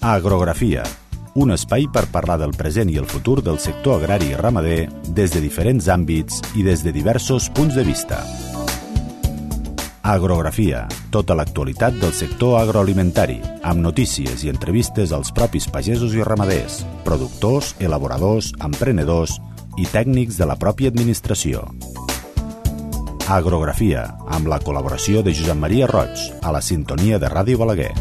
Agrografia, un espai per parlar del present i el futur del sector agrari i ramader des de diferents àmbits i des de diversos punts de vista. Agrografia, tota l'actualitat del sector agroalimentari, amb notícies i entrevistes als propis pagesos i ramaders, productors, elaboradors, emprenedors i tècnics de la pròpia administració. Agrografia, amb la col·laboració de Josep Maria Roig, a la sintonia de Ràdio Balaguer.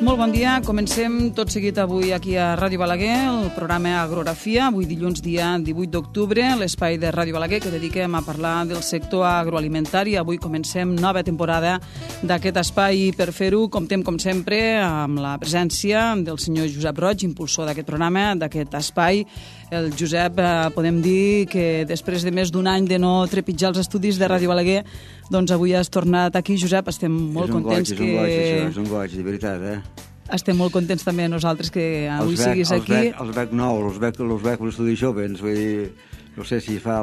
Molt bon dia, comencem tot seguit avui aquí a Ràdio Balaguer, el programa Agrografia, avui dilluns dia 18 d'octubre, l'espai de Ràdio Balaguer que dediquem a parlar del sector agroalimentari. Avui comencem nova temporada d'aquest espai. Per fer-ho, comptem com sempre amb la presència del senyor Josep Roig, impulsor d'aquest programa, d'aquest espai. El Josep, podem dir que després de més d'un any de no trepitjar els estudis de Ràdio Balaguer, doncs avui has tornat aquí, Josep, estem molt contents que... És un goig, de veritat, Estem molt contents també nosaltres que avui siguis aquí. Els veig nous, els veig l'estudi jovens, vull dir, no sé si fa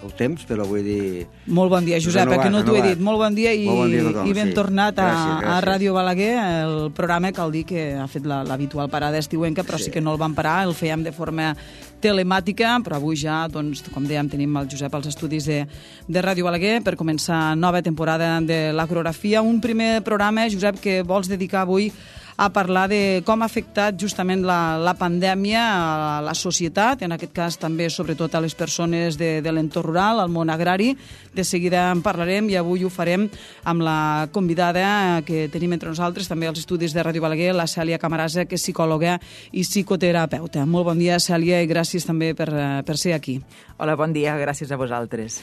el temps, però vull dir... Molt bon dia, Josep, que no t'ho he dit. Molt bon dia i ben tornat a Ràdio Balaguer, el programa, cal dir que ha fet l'habitual parada estiuenca, però sí que no el vam parar, el fèiem de forma telemàtica, però avui ja, doncs, com dèiem, tenim el Josep als estudis de Ràdio Balaguer per començar nova temporada de l'agrografia. Un primer programa, Josep, que vols dedicar avui a parlar de com ha afectat justament la pandèmia a la societat, en aquest cas també sobretot a les persones de l'entorn rural, al món agrari. De seguida en parlarem i avui ho farem amb la convidada que tenim entre nosaltres, també als estudis de Ràdio Balaguer, la Cèlia Camarasa, que és psicòloga i psicoterapeuta. Molt bon dia, Cèlia, i gràcies també per ser aquí. Hola, bon dia, gràcies a vosaltres.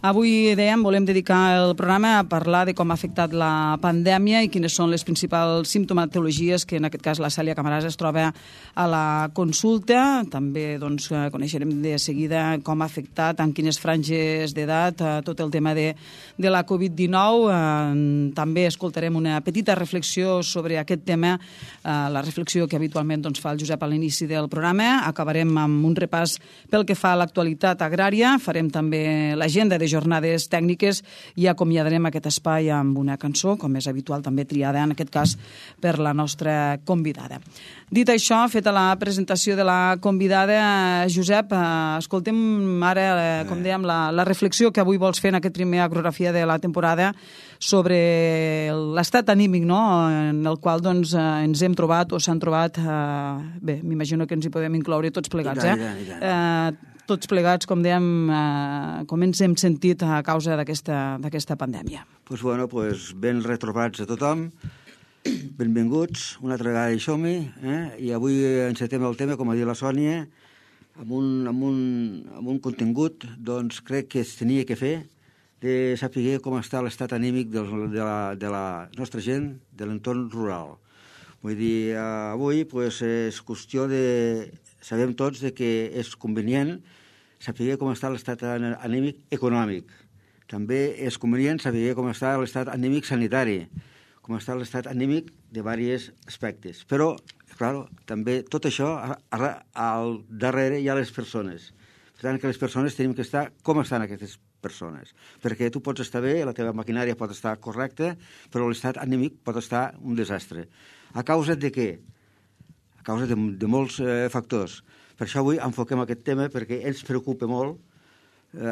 Avui, dèiem, volem dedicar el programa a parlar de com ha afectat la pandèmia i quines són les principals simptomatologies que, en aquest cas, la Cèlia Camarasa es troba a la consulta. També doncs, coneixerem de seguida com ha afectat, en quines franges d'edat, tot el tema de la Covid-19. També escoltarem una petita reflexió sobre aquest tema, la reflexió que habitualment doncs, fa el Josep a l'inici del programa. Acabarem amb un repàs pel que fa a l'actualitat agrària. Farem també l'agenda de jornades tècniques i acomiadarem aquest espai amb una cançó, com és habitual, també triada, en aquest cas, per la nostra convidada. Dit això, feta la presentació de la convidada, Josep, escoltem ara, com dèiem, la reflexió que avui vols fer en aquest primer agrografia de la temporada sobre l'estat anímic, no?, en el qual doncs, ens hem trobat o s'han trobat, bé, m'imagino que ens hi podem incloure tots plegats, tots plegats, com dèiem, com ens hem sentit a causa d'aquesta pandèmia. Doncs ben retrobats a tothom, benvinguts, una altra vegada hi som-hi, i avui encetem el tema, com ha dit la Sònia, amb un contingut, doncs crec que es tenia que fer, de saber com està l'estat anímic de la nostra gent de l'entorn rural. Vull dir, avui és qüestió de... Sabem tots que és convenient saber com està l'estat anímic econòmic. També és convenient saber com està l'estat anímic sanitari, com està l'estat anímic de diversos aspectes. Però, clar, també tot això, al darrere hi ha les persones. Per tant, que les persones tenim que estar com estan aquestes persones. Perquè tu pots estar bé, la teva maquinària pot estar correcta, però l'estat anímic pot estar un desastre. A causa de què? A causa de molts factors. Per això avui enfoquem aquest tema perquè ens preocupa molt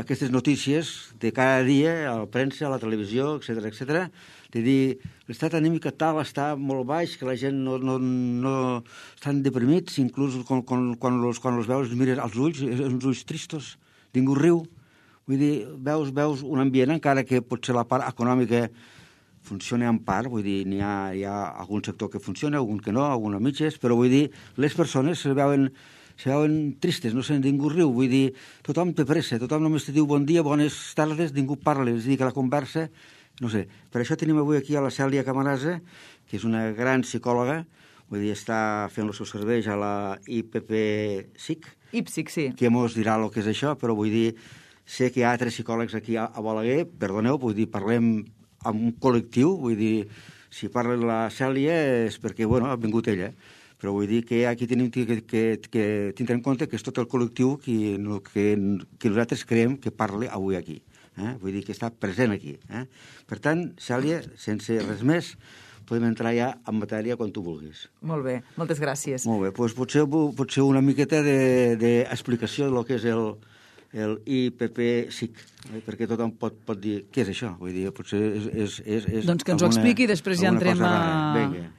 aquestes notícies de cada dia, a la premsa, a la televisió, etc., de dir l'estat anímic tal està molt baix, que la gent no estan deprimits, inclús quan els veus, mires als ulls, uns ulls tristos, ningú riu. Vull dir, veus un ambient, encara que potser la part econòmica funciona en part, vull dir, hi ha algun sector que funciona, algun que no, algun a mitges, però vull dir, les persones se veuen tristes, no sé, ningú riu, vull dir, tothom té pressa, tothom només te diu bon dia, bones tardes, ningú parla, és a dir, que la conversa, no sé. Per això tenim avui aquí a la Cèlia Camarasa, que és una gran psicòloga, vull dir, està fent els seus serveis a la IPPSIC, sí. Que mos dirà el que és això, però vull dir, sé que hi ha altres psicòlegs aquí a Balaguer, perdoneu, vull dir, parlem amb un col·lectiu, vull dir, si parla la Cèlia és perquè, ha vingut ella. Però vull dir que aquí tenim que tindre en compte que és tot el col·lectiu que nosaltres creiem que parla avui aquí. Vull dir que està present aquí. Per tant, Cèlia, sense res més, podem entrar ja en matèria quan tu vulguis. Molt bé, moltes gràcies. Molt bé, doncs potser una miqueta d'explicació del que és el IPP-SIC, perquè tothom pot dir què és això. Vull dir, potser és doncs que ens ho expliqui i després ja entrem a... Vinga.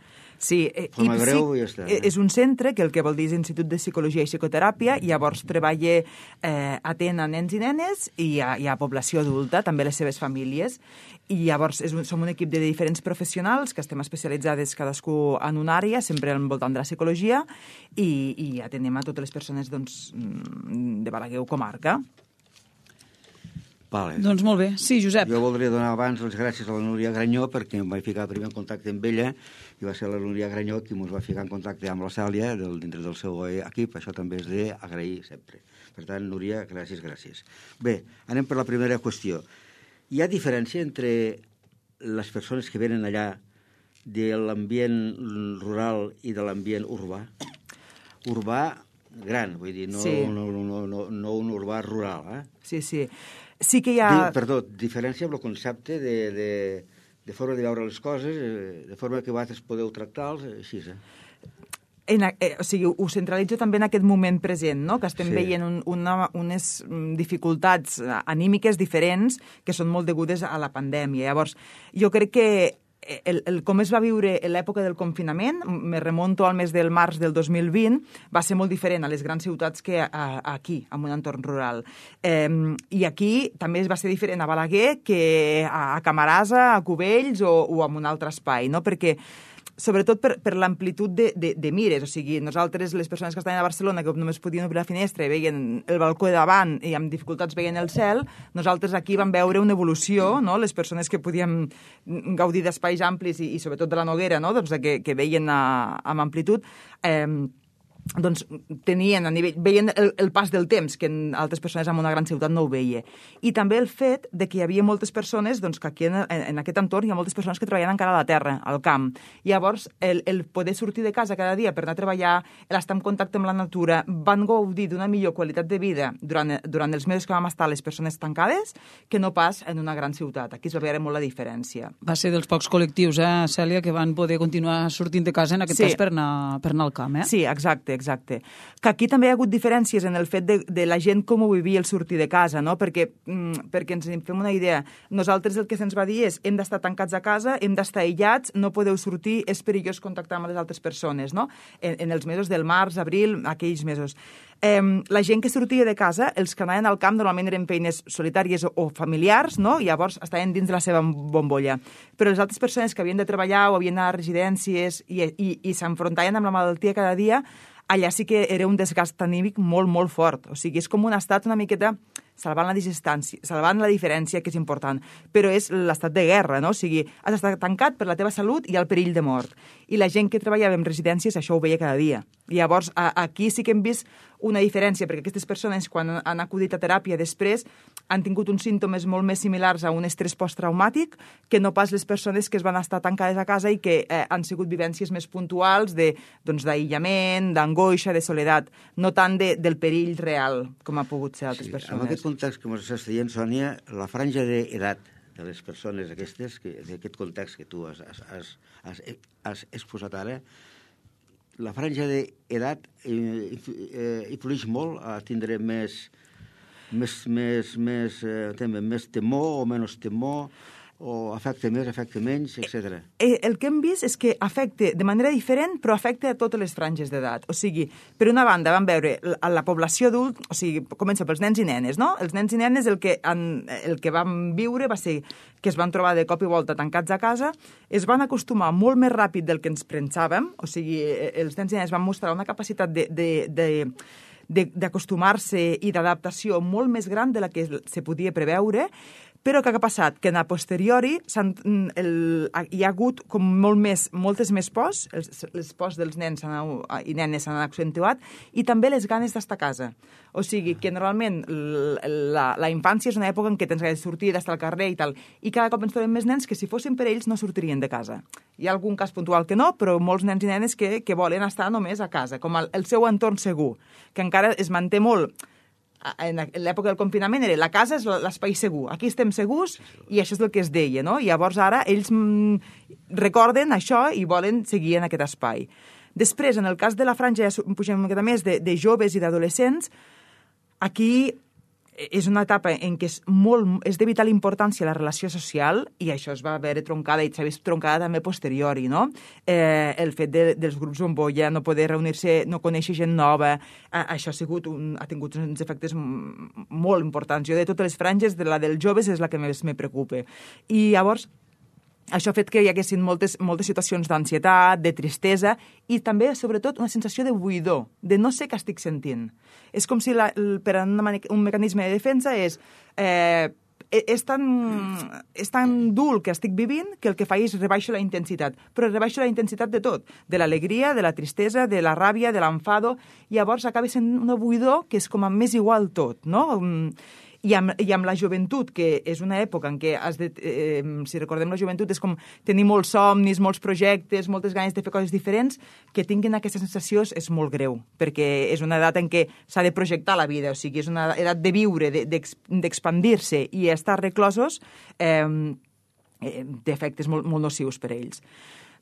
Sí, breu, ja està, és un centre que el que vol dir és Institut de Psicologia i Psicoteràpia, i llavors treballa atén a nens i nenes i a població adulta, també les seves famílies, i llavors som un equip de diferents professionals que estem especialitzades cadascú en una àrea, sempre al voltant de la psicologia, i atenem a totes les persones de Balaguer o comarca. Vale. Doncs molt bé. Sí, Josep. Jo voldria donar abans les gràcies a la Núria Granyó perquè em vaig ficar primer en contacte amb ella i va ser la Núria Granyó qui ens va ficar en contacte amb la Cèlia dintre del seu equip. Això també és d'agrair sempre. Per tant, Núria, gràcies. Bé, anem per la primera qüestió. Hi ha diferència entre les persones que venen allà de l'ambient rural i de l'ambient urbà? Urbà gran, vull dir, no un urbà rural, Sí. Sí que hi ha... Perdó, diferència amb el concepte de forma de veure les coses, de forma que vosaltres podeu tractar-los, així, O sigui, ho centralitzo també en aquest moment present, no? Que estem veient unes dificultats anímiques diferents que són molt degudes a la pandèmia. Llavors, jo crec que com es va viure en l'època del confinament, me remonto al mes del març del 2020, va ser molt diferent a les grans ciutats que aquí, en un entorn rural. I aquí també va ser diferent a Balaguer que a Camarasa, a Cubells o en un altre espai, no? Perquè sobretot per l'amplitud de mires. O sigui, nosaltres, les persones que estaven a Barcelona, que només podien obrir la finestra i veien el balcó de davant i amb dificultats veien el cel, nosaltres aquí vam veure una evolució, no? Les persones que podíem gaudir d'espais amplis i sobretot de la Noguera, no? Doncs que veien amb amplitud, doncs tenien veien el pas del temps, que altres persones en una gran ciutat no ho veia. I també el fet de que hi havia moltes persones, doncs que aquí en aquest entorn hi ha moltes persones que treballen encara a la terra, al camp. Llavors, el poder sortir de casa cada dia per anar a treballar, l'estar en contacte amb la natura, van gaudir d'una millor qualitat de vida durant els mesos que vam estar les persones tancades que no pas en una gran ciutat. Aquí es va veure molt la diferència. Va ser dels pocs col·lectius, Cèlia, que van poder continuar sortint de casa, en aquest cas per anar al camp, Sí, exacte. Que aquí també hi ha hagut diferències en el fet de la gent com ho vivia el sortir de casa, no? Perquè ens en fem una idea. Nosaltres el que se'ns va dir és hem d'estar tancats a casa, hem d'estar aïllats, no podeu sortir, és perillós contactar amb les altres persones, no? En els mesos del març, abril, aquells mesos. La gent que sortia de casa, els que anaven al camp normalment eren feines solitàries o familiars, no? I llavors estaven dins de la seva bombolla. Però les altres persones que havien de treballar o havien d'anar a residències i s'enfrontaven amb la malaltia cada dia, allà sí que era un desgast anímic molt, molt fort. O sigui, és com un estat una miqueta salvant la distància, salvant la diferència, que és important, però és l'estat de guerra, no? O sigui, has d'estar tancat per la teva salut i el perill de mort. I la gent que treballava en residències això ho veia cada dia. I llavors, aquí sí que hem vist una diferència, perquè aquestes persones, quan han acudit a teràpia després, han tingut uns símptomes molt més similars a un estrès posttraumàtic que no pas les persones que es van estar tancades a casa i que han sigut vivències més puntuals d'aïllament, d'angoixa, de soledat, no tant del perill real, com ha pogut ser altres persones. En aquest context que ens estàs dient, Sònia, la franja d'edat de les persones aquestes, d'aquest context que tu has exposat ara, la franja d'edat influeix molt a tindre més temor o menys temor, o afecta més, afecta menys, etc. El que hem vist és que afecta de manera diferent, però afecta a totes les franges d'edat. O sigui, per una banda vam veure a la població adult, o sigui, comença pels nens i nenes, no? Els nens i nenes el que vam viure va ser que es van trobar de cop i volta tancats a casa, es van acostumar molt més ràpid del que ens pensàvem, o sigui, els nens i nenes van mostrar una capacitat d'acostumar-se i d'adaptació molt més gran de la que se podia preveure, Però què ha passat? Que a posteriori hi ha hagut com moltes més pors, les pors dels nens i nenes s'han accentuat, i també les ganes d'estar a casa. O sigui, que normalment la infància és una època en què tens ganes de sortir, d'estar al carrer i tal, i cada cop ens trobem més nens que si fossin per ells no sortirien de casa. Hi ha algun cas puntual que no, però molts nens i nenes que volen estar només a casa, com el seu entorn segur, que encara es manté molt. En l'època del confinament era la casa és l'espai segur, aquí estem segurs i això és el que es deia, no? I llavors ara ells recorden això i volen seguir en aquest espai. Després, en el cas de la franja, ja pugem una miqueta més, de joves i d'adolescents, aquí és una etapa en què és de vital importància la relació social i això es va veure troncada i s'ha vist troncada també posteriori, no? El fet dels grups bombolla, no poder reunir-se, no conèixer gent nova, això ha tingut uns efectes molt importants. Jo de totes les franges, la dels joves és la que més me preocupa. I llavors això ha fet que hi haguessin moltes situacions d'ansietat, de tristesa i també, sobretot, una sensació de buidor, de no sé què estic sentint. És com si per un mecanisme de defensa és tan dur el que estic vivint que el que fa és rebaixo la intensitat. Però rebaixo la intensitat de tot, de l'alegria, de la tristesa, de la ràbia, de l'enfado. Llavors acaba sent una buidor que és com a més igual tot, no? I amb la joventut, que és una època en què, si recordem la joventut, és com tenir molts somnis, molts projectes, moltes ganes de fer coses diferents, que tinguin aquesta sensació és molt greu, perquè és una edat en què s'ha de projectar la vida, o sigui, és una edat de viure, d'expandir-se, i estar reclosos té efectes molt nocius per a ells.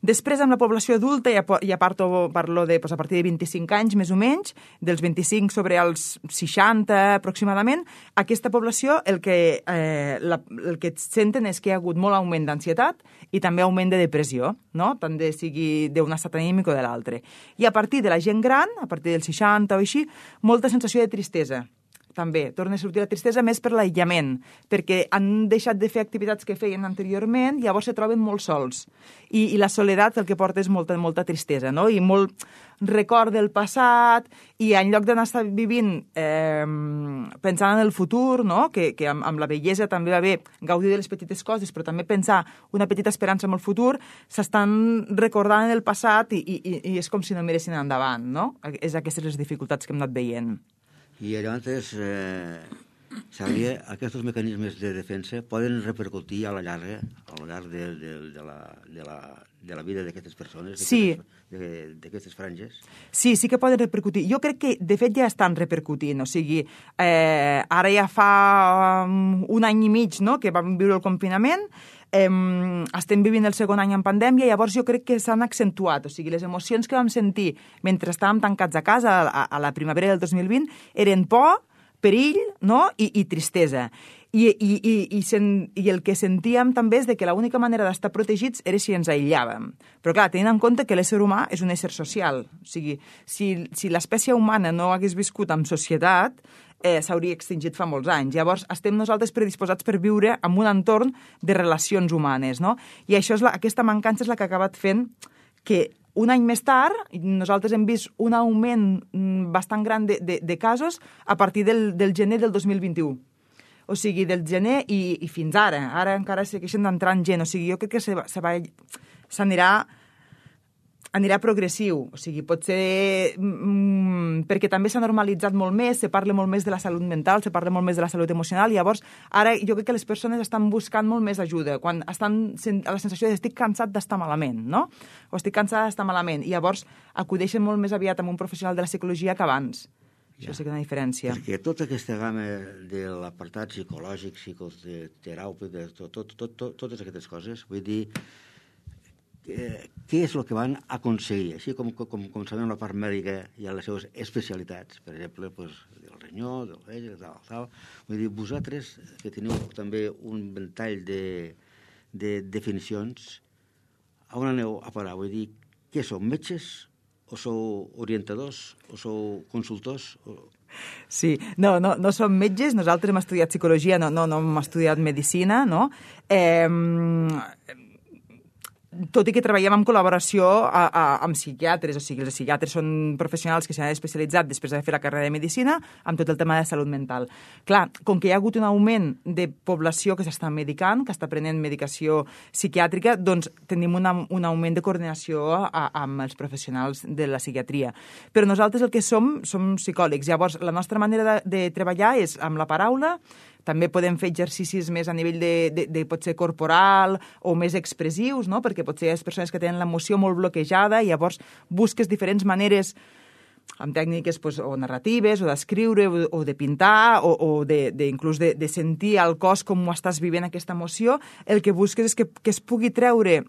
Després, amb la població adulta, ja parlo de a partir de 25 anys, més o menys, dels 25 sobre els 60 aproximadament, aquesta població el que senten és que hi ha hagut molt augment d'ansietat i també augment de depressió, no? Tant sigui d'un estat anímic o de l'altre. I a partir de la gent gran, a partir dels 60 o així, molta sensació de tristesa. També torna a sortir la tristesa més per l'aïllament, perquè han deixat de fer activitats que feien anteriorment i llavors se troben molt sols. I la soledat el que porta és molta tristesa, no? I molt record del passat, i en lloc d'anar vivint pensant en el futur, no? Que amb la bellesa també va bé gaudir de les petites coses, però també pensar una petita esperança en el futur, s'estan recordant en el passat i és com si no miressin endavant, no? És aquestes les dificultats que hem anat veient. I llavors, Xavier, aquests mecanismes de defensa poden repercutir a la llarg de la vida d'aquestes persones, d'aquestes franges? Sí que poden repercutir. Jo crec que, de fet, ja estan repercutint. O sigui, ara ja fa un any i mig, no?, que vam viure el confinament, estem vivint el segon any en pandèmia, llavors jo crec que s'han accentuat. O sigui, les emocions que vam sentir mentre estàvem tancats a casa a la primavera del 2020 eren por, perill, no?, i tristesa. I el que sentíem també és que l'única manera d'estar protegits era si ens aïllàvem. Però clar, tenint en compte que l'ésser humà és un ésser social. O sigui, si l'espècie humana no hagués viscut en societat, s'hauria extingit fa molts anys. Llavors, estem nosaltres predisposats per viure en un entorn de relacions humanes, no? I aquesta mancança és la que ha acabat fent que un any més tard nosaltres hem vist un augment bastant gran de casos a partir del gener del 2021. O sigui, del gener i fins ara. Ara encara segueixen entrant gent. O sigui, jo crec que anirà progressiu. O sigui, pot ser perquè també s'ha normalitzat molt més, se parla molt més de la salut mental, se parla molt més de la salut emocional, i llavors ara jo crec que les persones estan buscant molt més ajuda, quan estan a la sensació de estic cansat d'estar malament, no? O estic cansada d'estar malament, i llavors acudeixen molt més aviat amb un professional de la psicologia que abans. Això sí que és una diferència. Perquè tota aquesta gamma de l'apartat psicològic, psicoteràpic, totes aquestes coses, vull dir, què és el que van aconseguir? Així com sabem la part mèdica hi ha les seves especialitats, per exemple, del renyó, del vell, tal. Vull dir, vosaltres, que teniu també un ventall de definicions, on aneu a parar? Vull dir, què sou, metges? O sou orientadors? O sou consultors? Sí, no som metges, nosaltres hem estudiat psicologia, no hem estudiat medicina, no? tot i que treballem en col·laboració amb psiquiatres, o sigui, els psiquiatres són professionals que s'han especialitzat després de fer la carrera de Medicina amb tot el tema de salut mental. Clar, com que hi ha hagut un augment de població que s'està medicant, que està prenent medicació psiquiàtrica, doncs tenim un augment de coordinació amb els professionals de la psiquiatria. Però nosaltres el que som psicòlegs. Llavors, la nostra manera de treballar és amb la paraula. També podem fer exercicis més a nivell de potser corporal o més expressius, no? Perquè potser hi ha persones que tenen l'emoció molt bloquejada i llavors busques diferents maneres amb tècniques o narratives, o d'escriure, o de pintar, o inclús de sentir al cos com ho estàs vivint aquesta emoció. El que busques és que es pugui treure,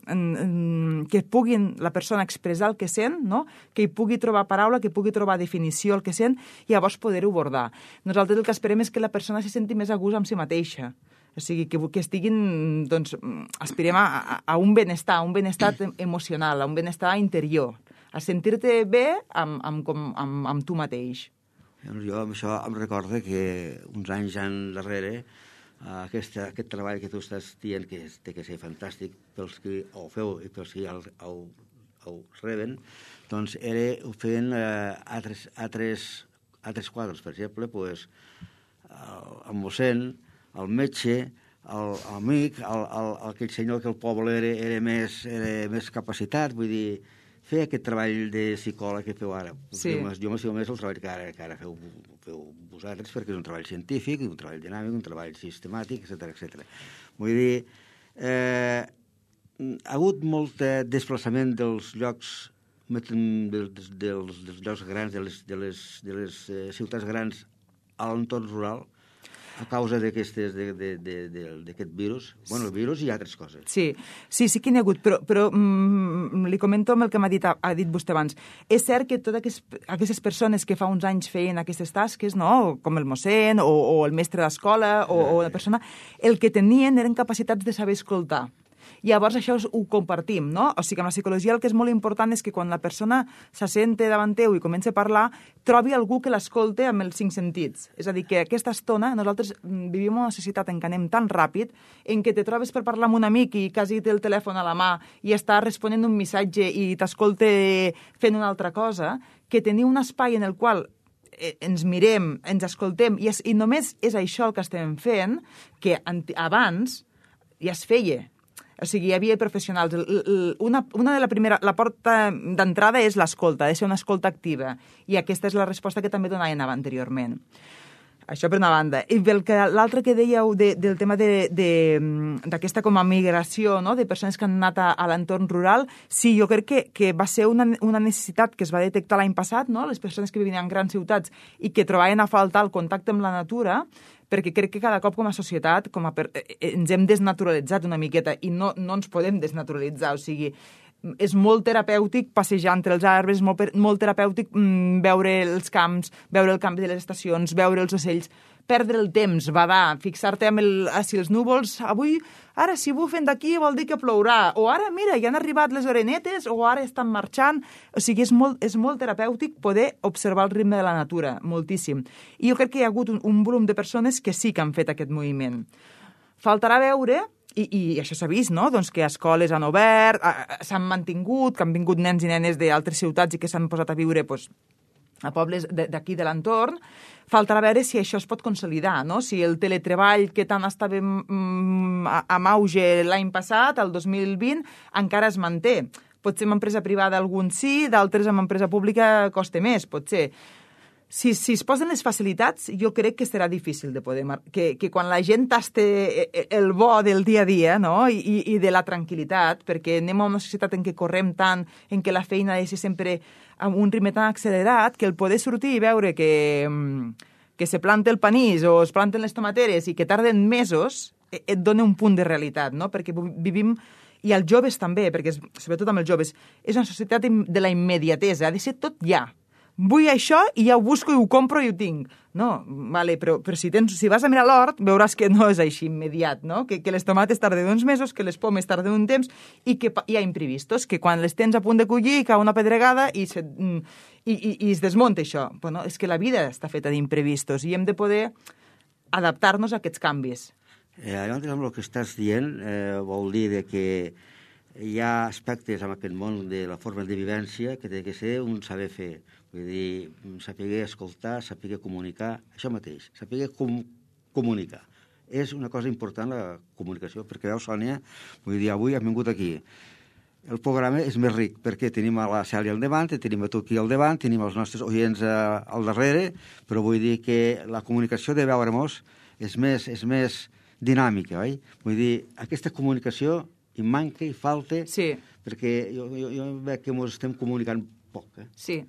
que puguin la persona expressar el que sent, no? Que hi pugui trobar paraula, que pugui trobar definició el que sent, i llavors poder-ho abordar. Nosaltres el que esperem és que la persona se senti més a gust amb si mateixa. O sigui, que estiguin, doncs, aspirem a un benestar emocional, a un benestar interior, a sentir-te bé amb tu mateix. Jo amb això em recorda que uns anys darrere aquest treball que tu estàs dient que té que ser fantàstic pels que ho feu i pels que ho reben, doncs ho feien altres quadres. Per exemple, el mossèn, el metge, l'amic, aquell senyor que el poble era més capacitat, vull dir, fer aquest treball de psicòleg que feu ara. Sí. Jo m'estimo més el treball que ara feu vosaltres, perquè és un treball científic, un treball dinàmic, un treball sistemàtic, etc. Vull dir, ha hagut molt desplaçament dels llocs dels llocs grans, de les ciutats grans a l'entorn rural, a causa d'aquest virus. Bueno, el virus i altres coses. Sí que n'hi ha hagut, però li comento amb el que ha dit vostè abans. És cert que totes aquestes persones que fa uns anys feien aquestes tasques, no? Com el mossèn o el mestre d'escola o la persona, el que tenien eren capacitats de saber escoltar. Llavors això ho compartim, no? O sigui, amb la psicologia el que és molt important és que quan la persona s'assente davant teu i comença a parlar, trobi algú que l'escolte amb els 5 sentits. És a dir, que aquesta estona nosaltres vivim en una societat en què anem tan ràpid, en què te trobes per parlar amb un amic i quasi té el telèfon a la mà i està responent un missatge i t'escolte fent una altra cosa, que tenir un espai en el qual ens mirem, ens escoltem, i només és això el que estem fent, que abans ja es feia. O sigui, hi havia professionals. La porta d'entrada és l'escolta, ha de ser una escolta activa. I aquesta és la resposta que també donaven anteriorment. Això per una banda. I l'altre que dèieu del tema d'aquesta com a migració, no?, de persones que han anat a l'entorn rural, sí, jo crec que va ser una necessitat que es va detectar l'any passat, no?, les persones que vivien en grans ciutats i que trobaven a faltar el contacte amb la natura, perquè crec que cada cop com a societat ens hem desnaturalitzat una miqueta i no ens podem desnaturalitzar, o sigui, és molt terapèutic passejar entre els arbres, molt terapèutic veure els camps, veure el canvi de les estacions, veure els ocells, perdre el temps, badar, fixar-te si els núvols, avui, ara si bufen d'aquí vol dir que plourà, o ara, mira, ja han arribat les orenetes, o ara estan marxant. O sigui, és molt terapèutic poder observar el ritme de la natura, moltíssim. I jo crec que hi ha hagut un volum de persones que sí que han fet aquest moviment. Faltarà veure, i això s'ha vist, no?, doncs que escoles han obert, s'han mantingut, que han vingut nens i nenes d'altres ciutats i que s'han posat a viure a pobles d'aquí de l'entorn. Faltarà veure si això es pot consolidar, no? Si el teletreball que tant estava en auge l'any passat, el 2020, encara es manté. Potser en empresa privada alguns sí, d'altres en empresa pública costa més, potser. Si es posen les facilitats, jo crec que serà difícil de poder... Que quan la gent taste el bo del dia a dia, no?, i de la tranquil·litat, perquè anem a una societat en què correm tant, en què la feina ha de ser sempre amb un ritme tan accelerat, que el poder sortir i veure que se planta el panís o es planten les tomateres i que tarden mesos, et dona un punt de realitat, no?, perquè vivim... I els joves també, perquè sobretot amb els joves, és una societat de la immediatesa, ha de ser tot ja. Vull això i ja ho busco i ho compro i ho tinc. No, vale, però si vas a mirar l'hort, veuràs que no és així immediat, no? Que les tomates tarden uns mesos, que les pomes tarden un temps i que hi ha imprevistos, que quan les tens a punt de collir cau una pedregada i es desmunta això. Bueno, és que la vida està feta d'imprevistos i hem de poder adaptar-nos a aquests canvis. Llavors, amb el que estàs dient, vol dir que hi ha aspectes en aquest món de la forma de vivència que té que ser un saber fer. Vull dir, saber escoltar, saber comunicar, això mateix, saber comunicar. És una cosa important, la comunicació, perquè veus, Sònia, vull dir, avui hem vingut aquí. El programa és més ric, perquè tenim a la Cèlia al davant, tenim a tu aquí al davant, tenim els nostres oients al darrere, però vull dir que la comunicació de veure-nos és més dinàmica, oi? Vull dir, aquesta comunicació hi manca, hi falta, perquè jo veig que ens estem comunicant poc. Sí,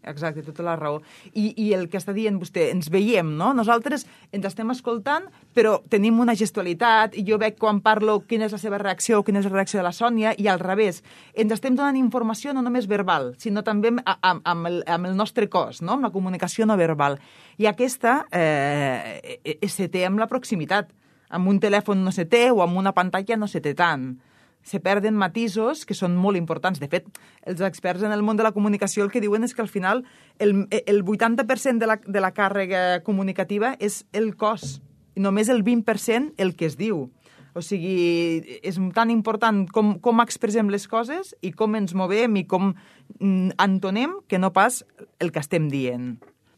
exacte, tota la raó. I el que està dient vostè, ens veiem, no? Nosaltres ens estem escoltant, però tenim una gestualitat, i jo veig quan parlo quina és la seva reacció, quina és la reacció de la Sònia, i al revés. Ens estem donant informació no només verbal, sinó també amb el nostre cos, no? Amb la comunicació no verbal. I aquesta se té amb la proximitat. Amb un telèfon no se té, o amb una pantalla no se té tant. Se perden matisos que són molt importants. De fet, els experts en el món de la comunicació el que diuen és que al final el 80% de la càrrega comunicativa és el cos, i només el 20% el que es diu. O sigui, és tan important com expressem les coses i com ens movem i com entonem que no pas el que estem dient.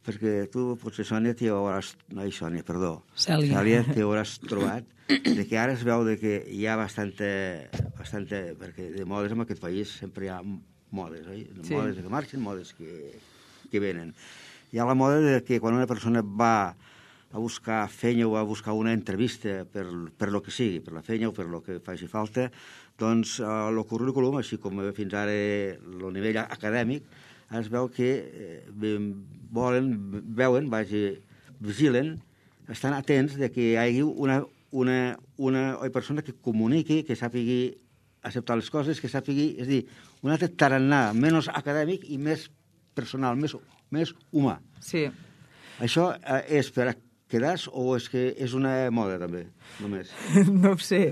Perquè tu, potser, Sònia, Cèlia, t'hauràs trobat de que ara es veu que hi ha bastanta... Perquè de modes en aquest país sempre hi ha modes, oi? Modes que marxen, modes que venen. Hi ha la moda de que quan una persona va a buscar feina o a buscar una entrevista per lo que sigui, per la feina o per lo que faci falta, doncs el currículum, així com fins ara el nivell acadèmic, es veu que vigilen, estan atents de que hi hagi una persona que comuniqui, que sàpigui acceptar les coses, que sàpigui, és a dir, un altre tarannà menys acadèmic i més personal, més humà. Sí. Això és per a quedar-se o és que és una moda també, només? No ho sé.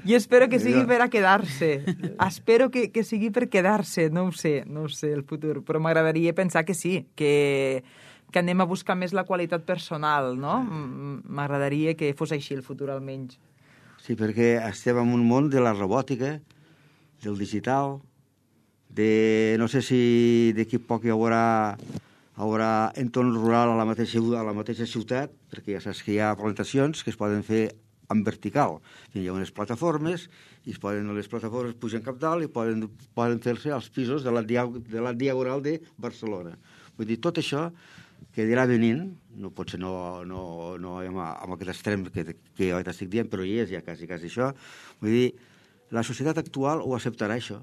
Jo espero que sigui per a quedar-se. Espero que sigui per quedar-se. No ho sé el futur, però m'agradaria pensar que sí, que anem a buscar més la qualitat personal, no? M'agradaria que fos així el futur, almenys. Sí, perquè estem en un món de la robòtica, del digital, no sé si d'aquí poc hi haurà entorn rural a la mateixa ciutat, perquè ja saps que hi ha plantacions que es poden fer en vertical. Hi ha unes plataformes, i les plataformes pugen cap dalt i poden fer-se als pisos de la Diagonal de Barcelona. Vull dir, tot això que dirà venint, no pot ser no amb aquest extrem que jo t'estic dient, però hi és ja quasi això. Vull dir, la societat actual ho acceptarà, això.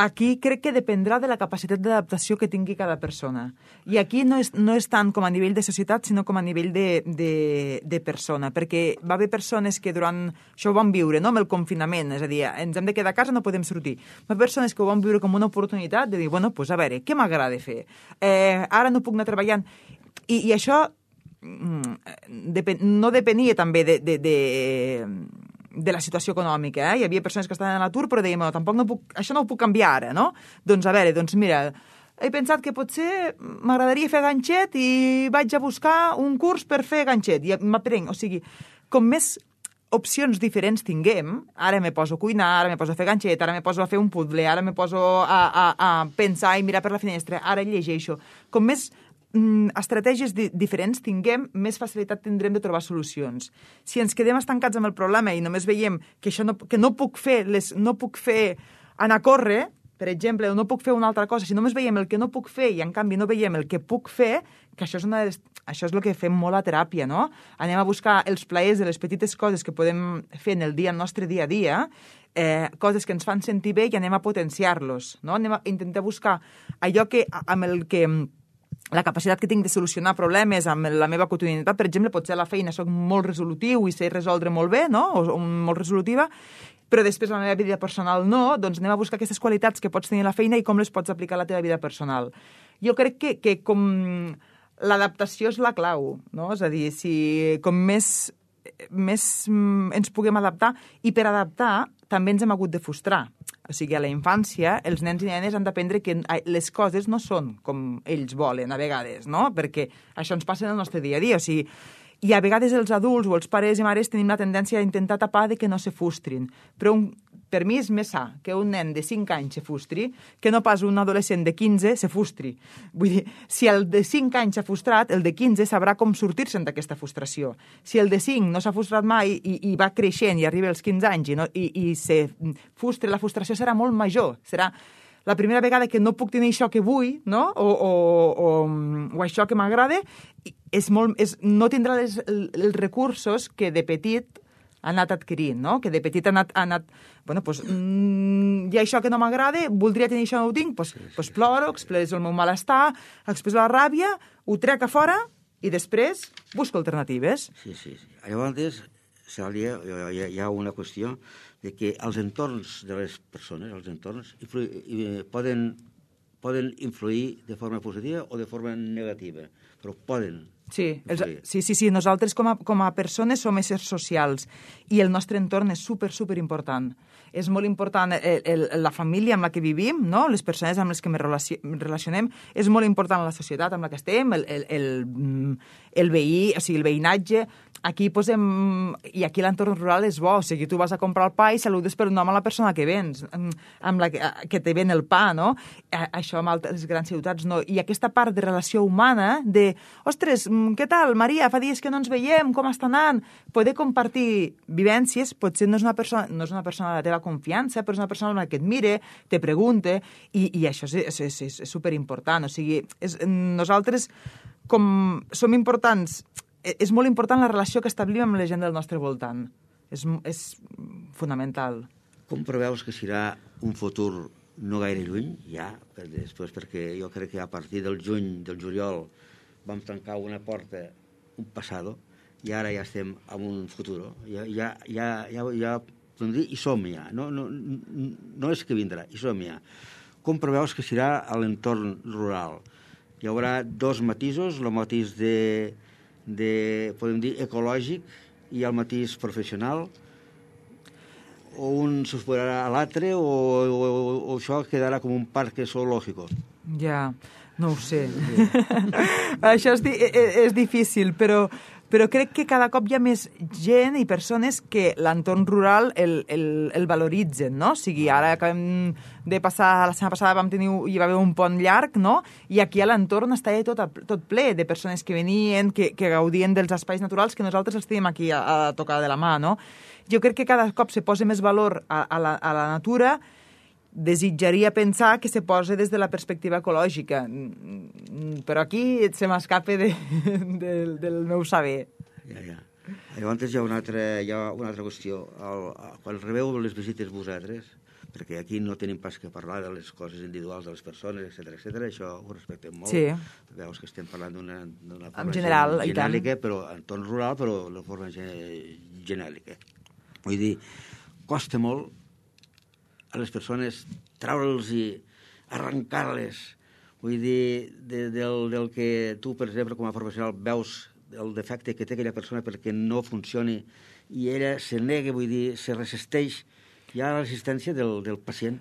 Aquí crec que dependrà de la capacitat d'adaptació que tingui cada persona. I aquí no és tant com a nivell de societat, sinó com a nivell de persona, perquè va haver persones que durant això ho van viure, no?, amb el confinament, és a dir, ens hem de quedar a casa, no podem sortir. Va haver persones que ho van viure com una oportunitat de dir, bueno, pues a veure, què m'agrada fer? Ara no puc anar treballant. I això no depenia també de la situació econòmica, Hi havia persones que estaven a l'atur, però deien, això no ho puc canviar ara, no? Doncs a veure, mira, he pensat que potser m'agradaria fer ganxet i vaig a buscar un curs per fer ganxet i m'aprenc. O sigui, com més opcions diferents tinguem, ara me poso a cuinar, ara me poso a fer ganxet, ara me poso a fer un puzzle, ara me poso a pensar i mirar per la finestra, ara llegeixo. Com més estratègies diferents tinguem, més facilitat tindrem de trobar solucions. Si ens quedem estancats amb el problema i només veiem que no puc fer anar a córrer, per exemple, o no puc fer una altra cosa, si només veiem el que no puc fer i en canvi no veiem el que puc fer, que això és el que fem molt a teràpia, no? Anem a buscar els plaers de les petites coses que podem fer en el nostre dia a dia, coses que ens fan sentir bé i anem a potenciar-los, no? Anem a intentar buscar allò amb el que la capacitat que tinc de solucionar problemes amb la meva quotidianitat. Per exemple, potser a la feina soc molt resolutiu i sé resoldre molt bé, no? O molt resolutiva, però després la meva vida personal no, doncs anem a buscar aquestes qualitats que pots tenir a la feina i com les pots aplicar a la teva vida personal. Jo crec que com l'adaptació és la clau, no? És a dir, si com més ens puguem adaptar, i per adaptar també ens hem hagut de frustrar. O sigui, a la infància, els nens i nenes han d'aprendre que les coses no són com ells volen, a vegades, no? Perquè això ens passa en el nostre dia a dia. O sigui, I a vegades els adults o els pares i mares tenim la tendència a intentar tapar de que no se frustrin. Però per mi és més sa que un nen de 5 anys se frustri que no pas un adolescent de 15 se frustri. Vull dir, si el de 5 anys s'ha frustrat, el de 15 sabrà com sortir-se'n d'aquesta frustració. Si el de 5 no s'ha frustrat mai i va creixent i arriba als 15 anys i se frustra, la frustració serà molt major. Serà la primera vegada que no puc tenir això que vull, no? o això que m'agrada, no tindrà els recursos que de petit ha anat adquirint, no? Que de petit ha anat bueno, doncs, hi ha això que no m'agrada, voldria tenir això, no ho tinc, doncs ploro, expresso el meu malestar, expresso la ràbia, ho trec a fora i després busco alternatives. Sí. Llavors, Cèlia, hi ha una qüestió de que els entorns de les persones, poden influir de forma positiva o de forma negativa, però poden. Sí, nosaltres com a persones som éssers socials i el nostre entorn és super important. És molt important la família amb la que vivim, no? Les persones amb les que ens relacionem, és molt important la societat amb la que estem, el veí, o sigui, el veïnatge. Aquí posem... I aquí l'entorn rural és bo, o sigui, tu vas a comprar el pa i saludes per un nom a la persona que vens, que te ven el pa, no? Això amb les grans ciutats no. I aquesta part de relació humana, de, ostres, què tal, Maria? Fa dies que no ens veiem, com està anant? Poder compartir vivències, potser no és una persona de la teva confiança, però és una persona que et mire, te pregunta, i això és superimportant. O sigui, nosaltres, com som importants, és molt important la relació que establim amb la gent del nostre voltant. És fonamental. Com preveus que serà un futur no gaire lluny, ja, després, perquè jo crec que a partir del juliol vam tancar una porta, un passado, i ara ja estem en un futur. Ja podem dir, hi som ja. No és que vindrà, hi som ja. Com preveus que serà a l'entorn rural? Hi haurà dos matisos, el matís podem dir, ecològic i el matís professional, o un se superarà a l'altre o això quedarà com un parc zoològic? Ja, no ho sé. Això és difícil, però crec que cada cop hi ha més gent i persones que l'entorn rural el valoritzen, no? O sigui, ara acabem de passar, la setmana passada hi va haver un pont llarg, no? I aquí a l'entorn està tot ple de persones que venien, que gaudien dels espais naturals que nosaltres els tenim aquí a tocar de la mà, no? Jo crec que cada cop se posa més valor a la natura. Desitjaria pensar que se posa des de la perspectiva ecològica, però aquí se m'escapa del meu saber. Ja. Llavors hi ha una altra qüestió. Quan rebeu les visites vosaltres, perquè aquí no tenim pas que parlar de les coses individuals de les persones, etc., això ho respectem molt. Sí. Veus que estem parlant d'una en general, genèrica, però en entorn rural, però de forma genèrica. Vull dir, costa molt a les persones traure'ls i arrencar-les. Vull dir, del que tu, per exemple, com a professional, veus el defecte que té aquella persona perquè no funcioni i ella se nega, vull dir, se resisteix. Hi ha la resistència del pacient.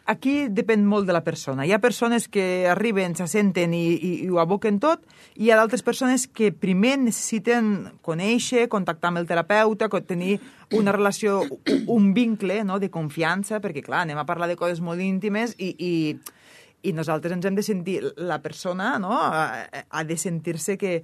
Aquí depèn molt de la persona. Hi ha persones que arriben, s'assenten i ho aboquen tot, i hi ha d'altres persones que primer necessiten conèixer, contactar amb el terapeuta, tenir una relació, un vincle, no?, de confiança, perquè, clar, anem a parlar de coses molt íntimes i nosaltres ens hem de sentir, la persona, no?, ha de sentir-se que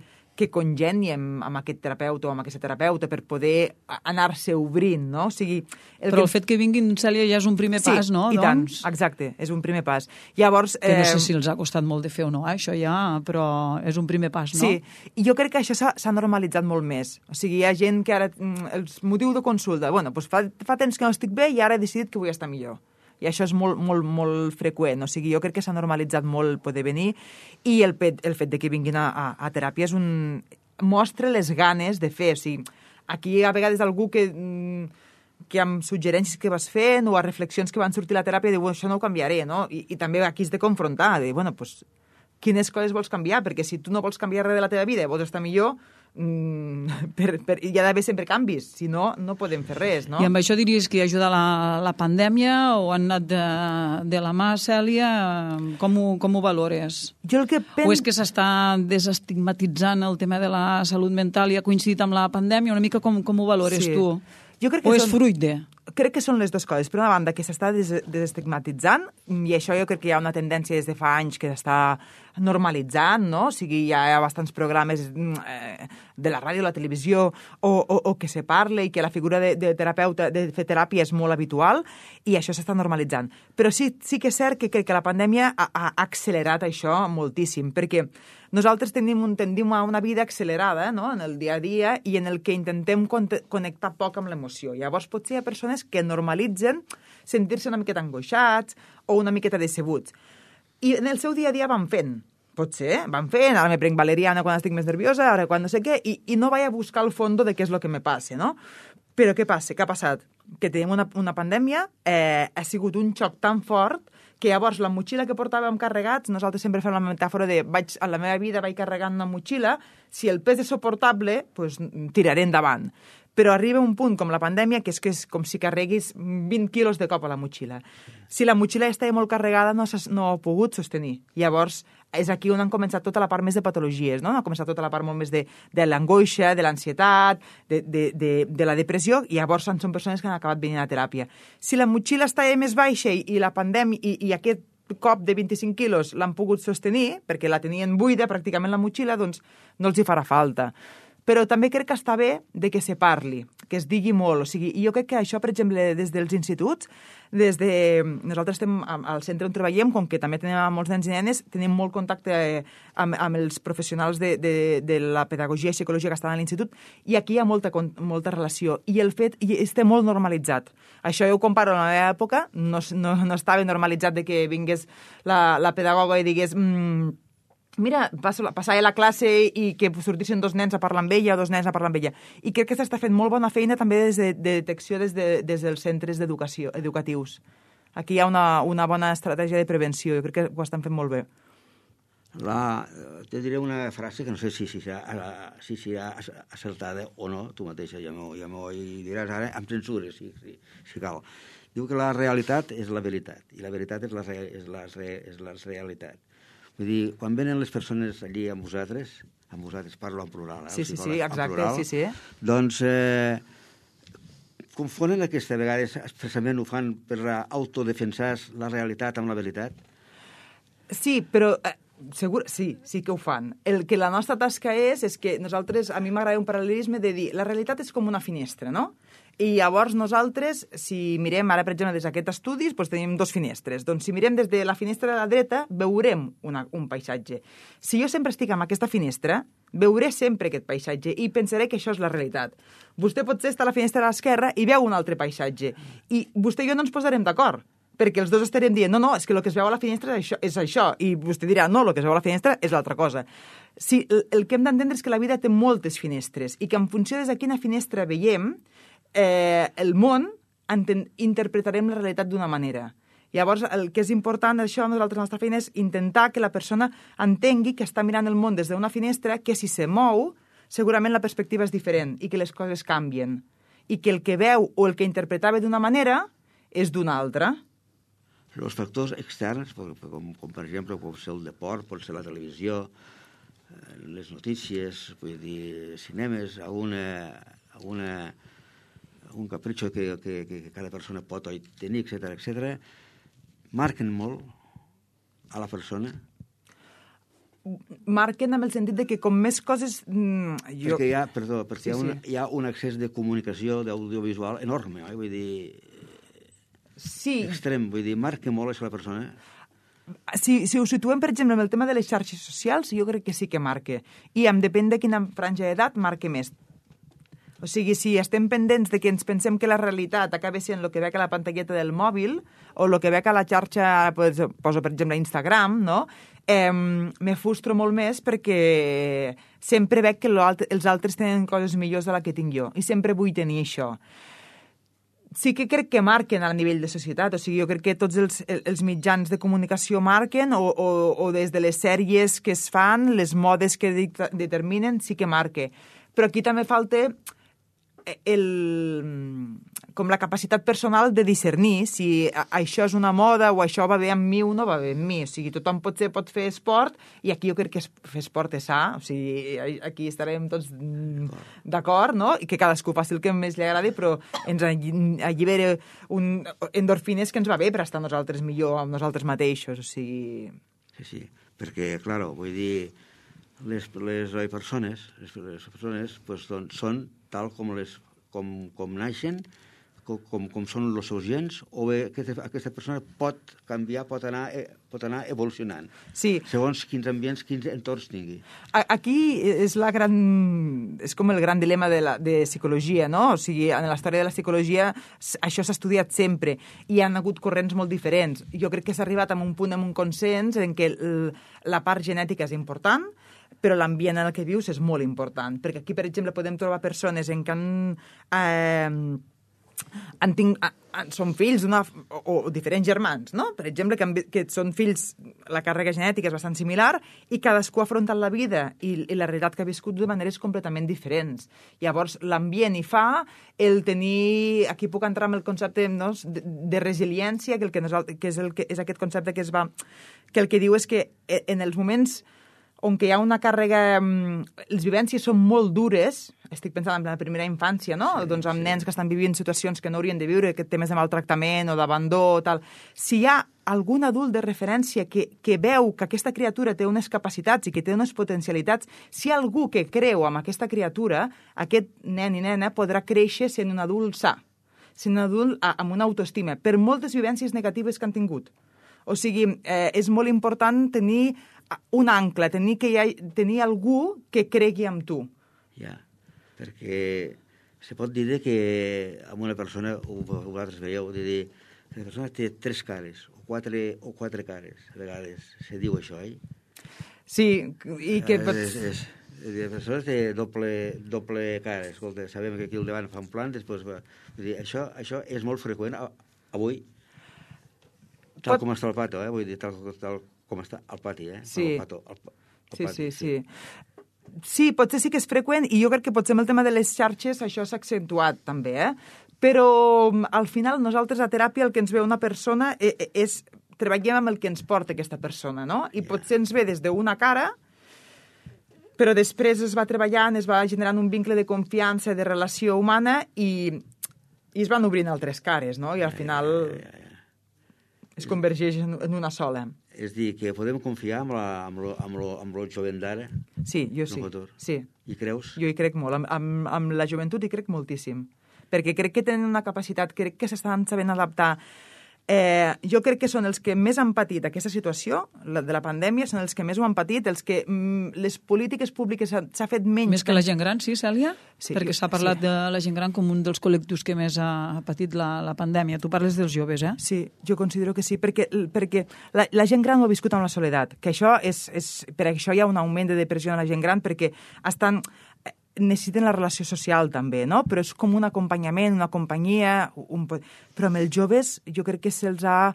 congeni amb aquest terapeuta o amb aquesta terapeuta per poder anar-se obrint, no? O sigui... Però el fet que vinguin, Cèlia, ja és un primer pas, no? Sí, i tant, exacte, és un primer pas. Llavors... Que no sé si els ha costat molt de fer o no, això ja, però és un primer pas, no? Sí, i jo crec que això s'ha normalitzat molt més. O sigui, hi ha gent que ara... El motiu de consulta, bueno, doncs fa temps que no estic bé i ara he decidit que vull estar millor. I això és molt freqüent. O sigui, jo crec que s'ha normalitzat molt poder venir i el fet de que vinguin a teràpia mostra les ganes de fer. O sigui, aquí a vegades algú que amb suggerències que vas fent o a reflexions que van sortir a la teràpia diu, això no ho canviaré, no? I també aquí has de confrontar, de, bueno, doncs quines coses vols canviar, perquè si tu no vols canviar res de la teva vida i vols estar millor, hi ha d'haver sempre canvis, si no, no podem fer res, no? I amb això diries que ajuda la pandèmia o han anat de la mà, Cèlia? Com ho valores? Jo el que O és que s'està desestigmatitzant el tema de la salut mental i ha coincidit amb la pandèmia? Una mica com ho valores tu? Jo crec que o és fruit de? Crec que són les dues coses. Per una banda, que s'està desestigmatitzant, i això jo crec que hi ha una tendència des de fa anys que s'està normalitzant, no? O sigui, hi ha bastants programes de la ràdio, la televisió, o que se parle i que la figura de terapeuta, de fer teràpia és molt habitual, i això s'està normalitzant. Però sí que és cert que crec que la pandèmia ha accelerat això moltíssim, perquè nosaltres tendim a una vida accelerada, no?, en el dia a dia, i en el que intentem connectar poc amb l'emoció. Llavors, potser hi ha persones que normalitzen sentir-se una miqueta angoixats o una miqueta decebuts. I en el seu dia a dia van fent. Potser, van fent, ara me prenc valeriana quan estic més nerviosa, ara quan no sé què, i no vaig a buscar el fons de què és el que me passa, no? Però què passa? Què ha passat? Que tenim una pandèmia, ha sigut un xoc tan fort que llavors la motxilla que portàvem carregats, nosaltres sempre fem la metàfora de a la meva vida vaig carregant una motxilla, si el pes és suportable, doncs tiraré endavant. Però arriba un punt com la pandèmia que és com si carreguis 20 quilos de cop a la motxilla. Si la motxilla estava molt carregada no ha pogut sostenir. Llavors és aquí on han començat tota la part més de patologies, no? Ha començat tota la part molt més de l'angoixa, de l'ansietat, de la depressió, i llavors són persones que han acabat venint a teràpia. Si la motxilla estava més baixa i la pandèmia i aquest cop de 25 quilos l'han pogut sostenir, perquè la tenien buida pràcticament la motxilla, doncs no els hi farà falta. Però també crec que està bé de que se parli, que es digui molt. O sigui, jo crec que això, per exemple, des dels instituts, nosaltres estem al centre on treballem, com que també tenim molts nens i nenes, tenim molt contacte amb els professionals de la pedagogia i psicologia que estan a l'institut, i aquí hi ha molta relació. I el fet està molt normalitzat. Això jo ho comparo a la meva època, no estava normalitzat de que vingués la pedagoga i digués... mira, passava la classe i que sortissin dos nens a parlar amb ella o dos nens a parlar amb ella. I crec que s'està fent molt bona feina també de detecció des dels centres educatius. Aquí hi ha una bona estratègia de prevenció. Jo crec que ho estan fent molt bé. Te diré una frase que no sé si serà acertada o no, tu mateixa ja m'ho diràs ara, amb censura, si cal. Diu que la realitat és la veritat, i la veritat és la realitat. Vull dir, quan venen les persones allí amb vosaltres parlo en plural. Sí, exacte, sí. Doncs confonen aquesta vegada, expressament ho fan per autodefensar la realitat amb la veritat? Sí, però segur, sí que ho fan. El que la nostra tasca és que nosaltres, a mi m'agrada un paral·lelisme de dir, la realitat és com una finestra, no? I llavors nosaltres, si mirem ara, per exemple, des d'aquests estudis, doncs tenim dos finestres. Doncs si mirem des de la finestra de la dreta, veurem un paisatge. Si jo sempre estic amb aquesta finestra, veuré sempre aquest paisatge i pensaré que això és la realitat. Vostè potser està a la finestra de l'esquerra i veu un altre paisatge. I vostè i jo no ens posarem d'acord, perquè els dos estarem dient, no, és que el que es veu a la finestra és això, i vostè dirà, no, el que es veu a la finestra és l'altra cosa. Sí, el que hem d'entendre és que la vida té moltes finestres i que en funció de quina finestra veiem, el món interpretarem la realitat d'una manera. Llavors, el que és important això, nosaltres, la nostra feina, és intentar que la persona entengui que està mirant el món des d'una finestra, que si se mou, segurament la perspectiva és diferent i que les coses canvien. I que el que veu o el que interpretava d'una manera és d'una altra. Els factors externs, com per exemple pot ser el deport, pot ser la televisió, les notícies, vull dir, cinemes, un capritxo que cada persona pot tenir, etc., marquen molt a la persona? Marquen en el sentit de que com més coses... Perquè hi ha un accés de comunicació, d'audiovisual enorme, vull dir... Sí. Extrem, vull dir, marca molt això a la persona. Si ho situem, per exemple, en el tema de les xarxes socials, jo crec que sí que marca. I depèn de quina franja d'edat, marca més. O sigui, si estem pendents de que ens pensem que la realitat acaba sent el que veig a la pantalleta del mòbil o el que veig a la xarxa, poso per exemple Instagram, no? Me frustro molt més perquè sempre veig que els altres tenen coses millors de la que tinc jo i sempre vull tenir això. sí que crec que marquen a nivell de societat. O sigui, jo crec que tots els mitjans de comunicació marquen o des de les sèries que es fan, les modes que determinen, sí que marquen. Però aquí també falta com la capacitat personal de discernir si això és una moda o això va bé amb mi o no va bé amb mi. O sigui, tothom pot fer esport i aquí jo crec que fer esport és sa. O sigui, aquí estarem tots d'acord, no? I que cadascú faci el que més li agradi, però ens allibera endorfines que ens va bé per estar nosaltres millor amb nosaltres mateixos. O sigui... Sí, perquè, clar, vull dir, les persones pues, són tal com naixen, com són els seus gens, o bé aquesta persona pot canviar, pot anar evolucionant, segons quins ambients, quins entorns tingui. Aquí és com el gran dilema de psicologia, no? O sigui, en la història de la psicologia això s'ha estudiat sempre i hi ha hagut corrents molt diferents. Jo crec que s'ha arribat a un punt, a un consens en què la part genètica és important, però l'ambient en el que vius és molt important. Perquè aquí, per exemple, podem trobar persones en què són fills o diferents germans, no? Per exemple, que són fills, la càrrega genètica és bastant similar i cadascú ha afrontat la vida i la realitat que ha viscut de maneres completament diferents. Llavors, l'ambient hi fa el tenir... Aquí puc entrar amb el concepte, no?, de resiliència, que és aquest concepte que el que diu és que en els moments on hi ha una càrrega... Les vivències són molt dures, estic pensant en la primera infància, no? Sí, doncs amb nens que estan vivint situacions que no haurien de viure, temes de maltractament o d'abandó, tal. Si hi ha algun adult de referència que veu que aquesta criatura té unes capacitats i que té unes potencialitats, si hi ha algú que creu en aquesta criatura, aquest nen i nena podrà créixer sent un adult sa, sent un adult amb una autoestima, per moltes vivències negatives que han tingut. O sigui, és molt important tenir un ancle, tenir algú que cregui en tu. Ja, perquè se pot dir que amb una persona, vosaltres veieu, de dir que la persona té 3 cares, o 4 cares, a vegades se diu això, Sí, i que... La persona té doble cara. Escolta, sabem que aquí al davant fa un plan, després va... Vull dir, això és molt freqüent avui, tal com està el pato, vull dir, tal com està al pati, Sí. El Sí, pati, sí. Sí, potser sí que és freqüent i jo crec que potser amb el tema de les xarxes això s'ha accentuat també, Però al final nosaltres a teràpia el que ens ve una persona és treballem amb el que ens porta aquesta persona, no? I potser ens ve des d'una cara, però després es va treballant, es va generant un vincle de confiança, de relació humana i es van obrint altres cares, no? I al final es convergeix en una sola. És dir, que podem confiar amb el jovent d'ara? Sí, jo sí. Sí. Hi creus? Jo hi crec molt. Amb la joventut hi crec moltíssim. Perquè crec que tenen una capacitat, crec que s'estan sabent adaptar. Jo crec que són els que més han patit aquesta situació de la pandèmia, són els que més ho han patit, els que les polítiques públiques s'ha fet menys... Més que la gent gran, sí, Cèlia? Sí, perquè s'ha parlat de la gent gran com un dels col·lectius que més ha patit la pandèmia. Tu parles dels joves, Sí, jo considero que sí, perquè la gent gran ho ha viscut amb la soledat, que això per això hi ha un augment de depressió en la gent gran, perquè necessiten la relació social també, no? Però és com un acompanyament, una companyia, però amb els joves jo crec que se'ls ha...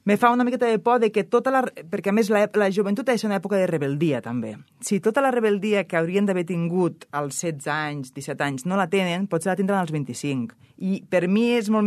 Me fa una miqueta de por de que perquè a més la joventut ha de ser una època de rebeldia també. Si tota la rebeldia que haurien d'haver tingut als 16 anys, 17 anys no la tenen, potser la tindran als 25. I per mi és molt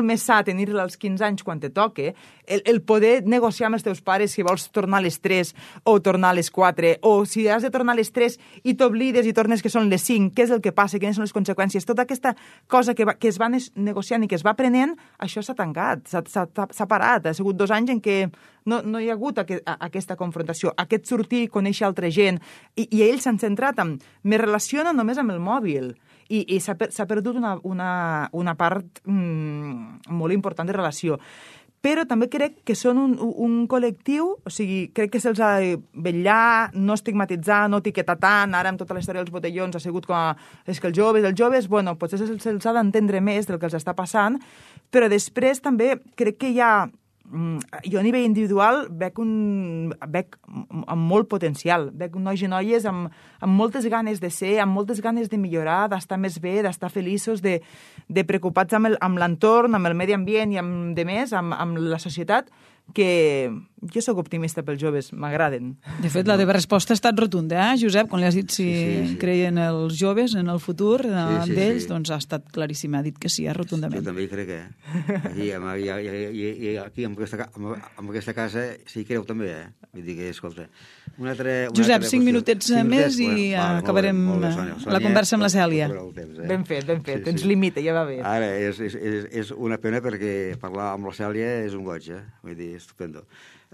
més sa tenir-la als 15 anys quan te toque, el poder negociar amb els teus pares si vols tornar a les 3 o tornar a les 4, o si has de tornar a les 3 i t'oblides i tornes que són les 5, què és el que passa, quines són les conseqüències. Tota aquesta cosa que es va negociant i que es va aprenent, això s'ha tancat, s'ha parat. Ha sigut 2 anys en què no hi ha hagut aquesta confrontació, aquest sortir, conèixer altra gent, i ells s'han centrat en... Me relaciono només amb el mòbil, i s'ha perdut una part molt important de relació. Però també crec que són un col·lectiu, o sigui, crec que se'ls ha de vetllar, no estigmatitzar, no etiquetar tant, ara amb tota la història dels botellons ha sigut com és que els joves, bueno, potser se'ls ha d'entendre més del que els està passant, però després també crec que hi ha jo a nivell individual veig amb molt potencial, veig nois i noies amb moltes ganes de ser, amb moltes ganes de millorar, d'estar més bé, d'estar feliços, de preocupats amb l'entorn, amb el medi ambient i amb demés, amb la societat, que jo sóc optimista pels joves, m'agraden. De fet, la teva resposta ha estat rotunda, Josep? Quan li has dit si creien els joves en el futur d'ells, doncs ha estat claríssim, ha dit que sí, rotundament. Jo també hi crec, Aquí, amb aquesta casa, sí creu també, Vull dir que, escolta... Josep, 5 minutets més i acabarem la conversa amb la Cèlia. Ben fet, ens limita, ja va bé. Ara, és una pena perquè parlar amb la Cèlia és un goig, Vull dir, estupendo.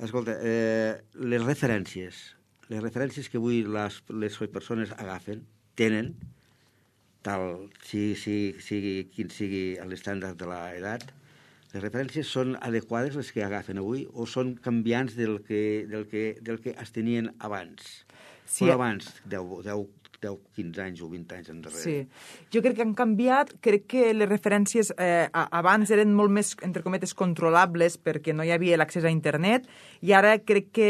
Escolta, les referències que avui les persones agafen, tenen, tal sigui quin sigui l'estàndard de l'edat, les referències són adequades les que agafen avui o són canviants del que es tenien abans? Sí. O abans, 10, 15 anys o 20 anys endarrere. Sí. Jo crec que han canviat, crec que les referències abans eren molt més, entre cometes, controlables perquè no hi havia l'accés a internet i ara crec que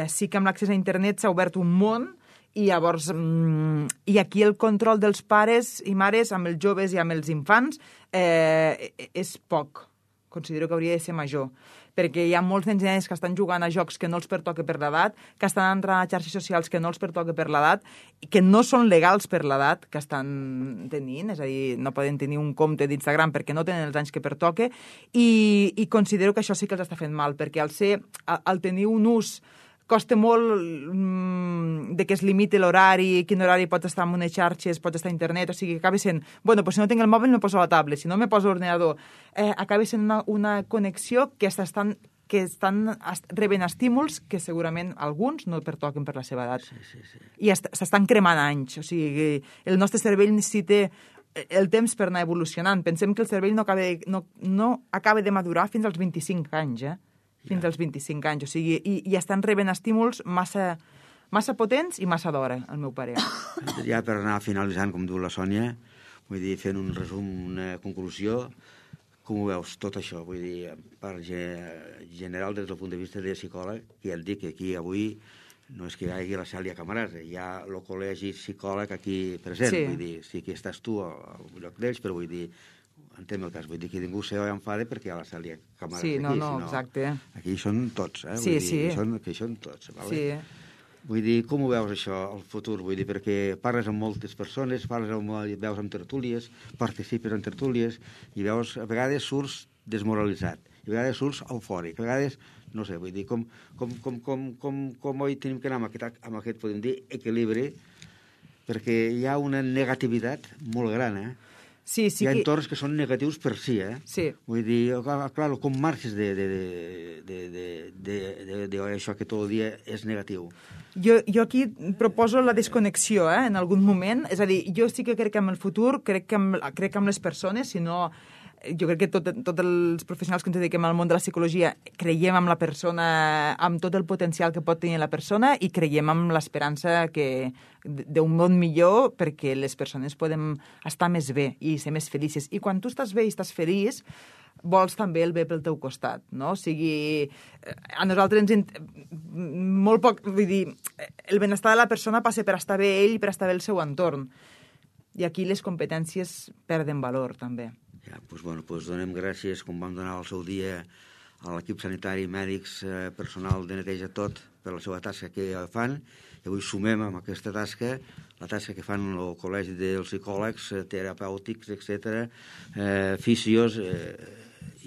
sí que amb l'accés a internet s'ha obert un món i llavors i aquí el control dels pares i mares amb els joves i amb els infants és poc. Considero que hauria de ser major, perquè hi ha molts nens i nenes que estan jugant a jocs que no els pertoca per l'edat, que estan entrant a xarxes socials que no els pertoca per l'edat, i que no són legals per l'edat que estan tenint, és a dir, no poden tenir un compte d'Instagram perquè no tenen els anys que pertoca, i considero que això sí que els està fent mal, perquè al tenir un ús costa molt de que es limiti l'horari, quin horari pots estar en unes xarxes, pots estar a internet, o sigui, acaba sent, bueno, pues si no tinc el mòbil me poso la tablet, si no me poso l'ordinador. Acaba sent una connexió que estan rebent estímuls que segurament alguns no pertoquen per la seva edat. Sí. I s'estan cremant anys, o sigui, el nostre cervell necessita el temps per anar evolucionant. Pensem que el cervell no acaba de madurar fins als 25 anys, fins als 25 anys, o sigui, i estan rebent estímuls massa potents i massa d'hora, al meu parer. Ja per anar finalitzant, com diu la Sònia, vull dir, fent un resum, una conclusió, com ho veus, tot això? Vull dir, per general, des del punt de vista de psicòleg, que ja et dic que aquí avui no és que hi hagi la Cèlia Camarasa, hi ha el col·legi psicòleg aquí present, vull dir, sí que estàs tu al lloc d'ells, però vull dir, entenc el cas, vull dir que ningú s'enfada perquè hi ha la Cèlia Camarasa aquí. Sí, no, exacte. Aquí són tots, Sí, vull dir, que són tots, vale? Sí. Vull dir, com ho veus això, el futur? Vull dir, perquè parles amb moltes persones, veus amb tertúlies, participes en tertúlies, i veus, a vegades surts desmoralitzat, i a vegades surts eufòric, a vegades, no sé, vull dir, com oi tenim que anar amb aquest, podem dir, equilibri, perquè hi ha una negativitat molt gran, Sí, hi ha entorns que són negatius per si, Sí. Vull dir, clar, com marxes de això que tot el dia és negatiu? Jo aquí proposo la desconnexió, en algun moment. És a dir, jo sí que crec en el futur, crec en les persones, si no... Jo crec que tots els professionals que ens dediquem al món de la psicologia creiem en la persona, amb tot el potencial que pot tenir la persona i creiem en l'esperança d'un món millor perquè les persones podem estar més bé i ser més felices. I quan tu estàs bé i estàs feliç, vols també el bé pel teu costat, no? O sigui, a nosaltres molt poc... Vull dir, el benestar de la persona passa per estar bé ell i per estar bé el seu entorn. I aquí les competències perden valor, també. Ja, doncs donem gràcies, com vam donar el seu dia a l'equip sanitari, mèdics, personal de neteja tot, per la seva tasca que fan, i avui sumem amb aquesta tasca, la tasca que fan el col·legi dels psicòlegs, terapèutics, etc., fisios,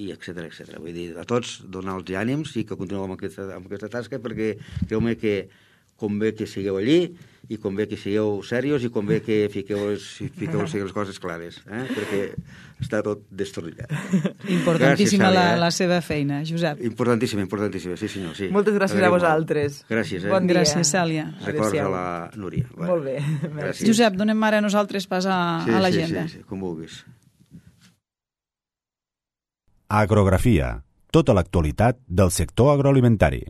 i etcètera. Vull dir, a tots donar els ànims i que continueu amb aquesta tasca, perquè creu-me que convé que sigueu allí i convé que sigueu serios i convé que fiqueu les coses clares, perquè està tot destorrillat. Importantíssima la seva feina, Josep. Importantíssima, sí senyor. Sí. Moltes gràcies a vosaltres. Gràcies. Bon dia. Gràcies, Cèlia. Records a la Núria. Molt bé. Josep, donem ara nosaltres pas a l'agenda. Sí, com vulguis. Agrografia. Tota l'actualitat del sector agroalimentari.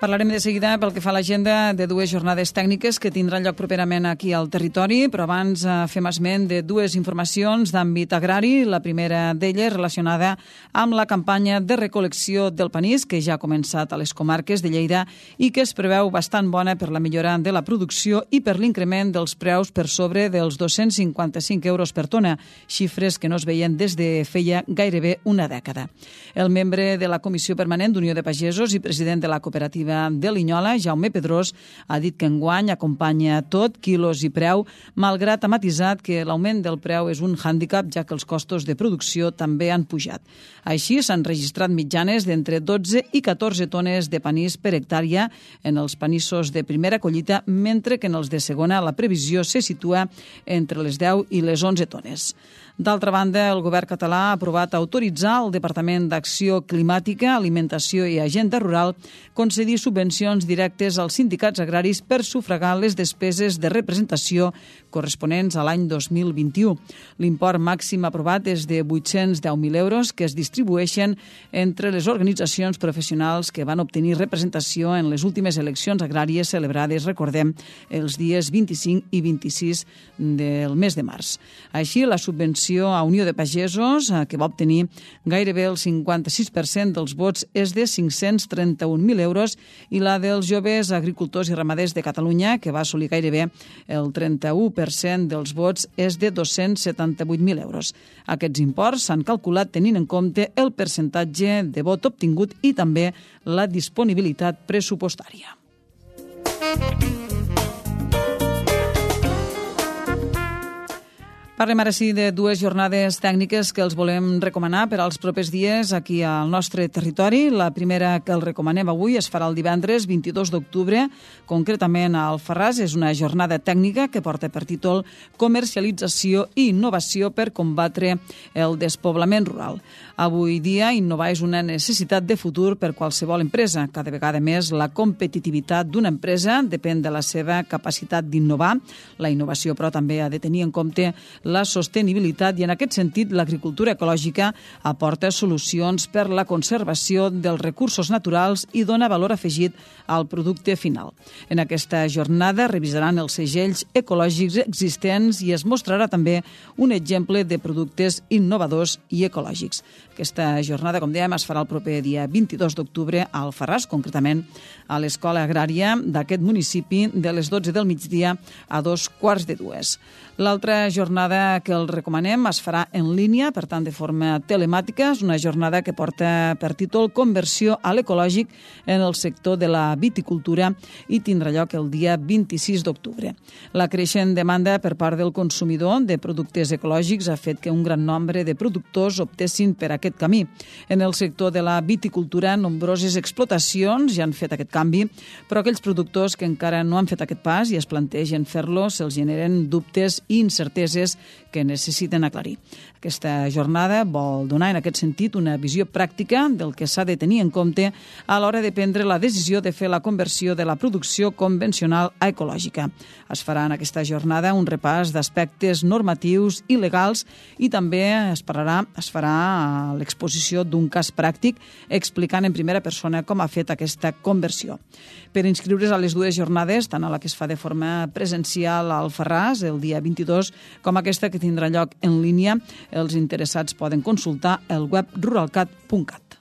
Parlarem de seguida pel que fa a l'agenda de dues jornades tècniques que tindran lloc properament aquí al territori, però abans fem esment de dues informacions d'àmbit agrari. La primera d'elles relacionada amb la campanya de recol·lecció del panís, que ja ha començat a les comarques de Lleida i que es preveu bastant bona per la millora de la producció i per l'increment dels preus per sobre dels 255 euros per tona, xifres que no es veien des de feia gairebé una dècada. El membre de la Comissió Permanent d'Unió de Pagesos i president de la cooperativa de Linyola, Jaume Pedrós, ha dit que enguany acompanya tot, quilos i preu, malgrat ha matisat que l'augment del preu és un hàndicap, ja que els costos de producció també han pujat. Així, s'han registrat mitjanes d'entre 12 i 14 tones de panís per hectàrea en els panissos de primera collita, mentre que en els de segona la previsió se situa entre les 10 i les 11 tones. D'altra banda, el govern català ha aprovat autoritzar al Departament d'Acció Climàtica, Alimentació i Agenda Rural concedir subvencions directes als sindicats agraris per sufragar les despeses de representació corresponents a l'any 2021. L'import màxim aprovat és de 810.000 euros que es distribueixen entre les organitzacions professionals que van obtenir representació en les últimes eleccions agràries celebrades, recordem, els dies 25 i 26 del mes de març. Així, la subvenció a Unió de Pagesos, que va obtenir gairebé el 56% dels vots, és de 531.000 euros, i la dels joves agricultors i ramaders de Catalunya, que va assolir gairebé el 31% dels vots, és de 278.000 euros. Aquests imports s'han calculat tenint en compte el percentatge de vot obtingut i també la disponibilitat pressupostària. Parlem ara sí de dues jornades tècniques que els volem recomanar per als propers dies aquí al nostre territori. La primera que els recomanem avui es farà el divendres 22 d'octubre, concretament a Alfarràs. És una jornada tècnica que porta per títol Comercialització i innovació per combatre el despoblament rural. Avui dia, innovar és una necessitat de futur per qualsevol empresa. Cada vegada més la competitivitat d'una empresa depèn de la seva capacitat d'innovar. La innovació, però, també ha de tenir en compte la sostenibilitat i, en aquest sentit, l'agricultura ecològica aporta solucions per la conservació dels recursos naturals i dona valor afegit al producte final. En aquesta jornada revisaran els segells ecològics existents i es mostrarà també un exemple de productes innovadors i ecològics. Aquesta jornada, com dèiem, es farà el proper dia 22 d'octubre a Alfarràs, concretament a l'Escola Agrària d'aquest municipi, de les 12 del migdia a 2:15. L'altra jornada que els recomanem es farà en línia, per tant, de forma telemàtica. És una jornada que porta per títol Conversió a l'ecològic en el sector de la viticultura i tindrà lloc el dia 26 d'octubre. La creixent demanda per part del consumidor de productes ecològics ha fet que un gran nombre de productors optessin per aquest camí. En el sector de la viticultura, nombroses explotacions ja han fet aquest canvi, però aquells productors que encara no han fet aquest pas i es plantegen fer-lo, se'ls generen dubtes i incerteses que necessiten aclarir. Aquesta jornada vol donar en aquest sentit una visió pràctica del que s'ha de tenir en compte a l'hora de prendre la decisió de fer la conversió de la producció convencional a ecològica. Es farà en aquesta jornada un repàs d'aspectes normatius i legals i també es farà l'exposició d'un cas pràctic explicant en primera persona com ha fet aquesta conversió. Per inscriure's a les dues jornades, tant a la que es fa de forma presencial a Alfarràs el dia 22 com aquesta que tindrà lloc en línia, els interessats poden consultar el web ruralcat.cat.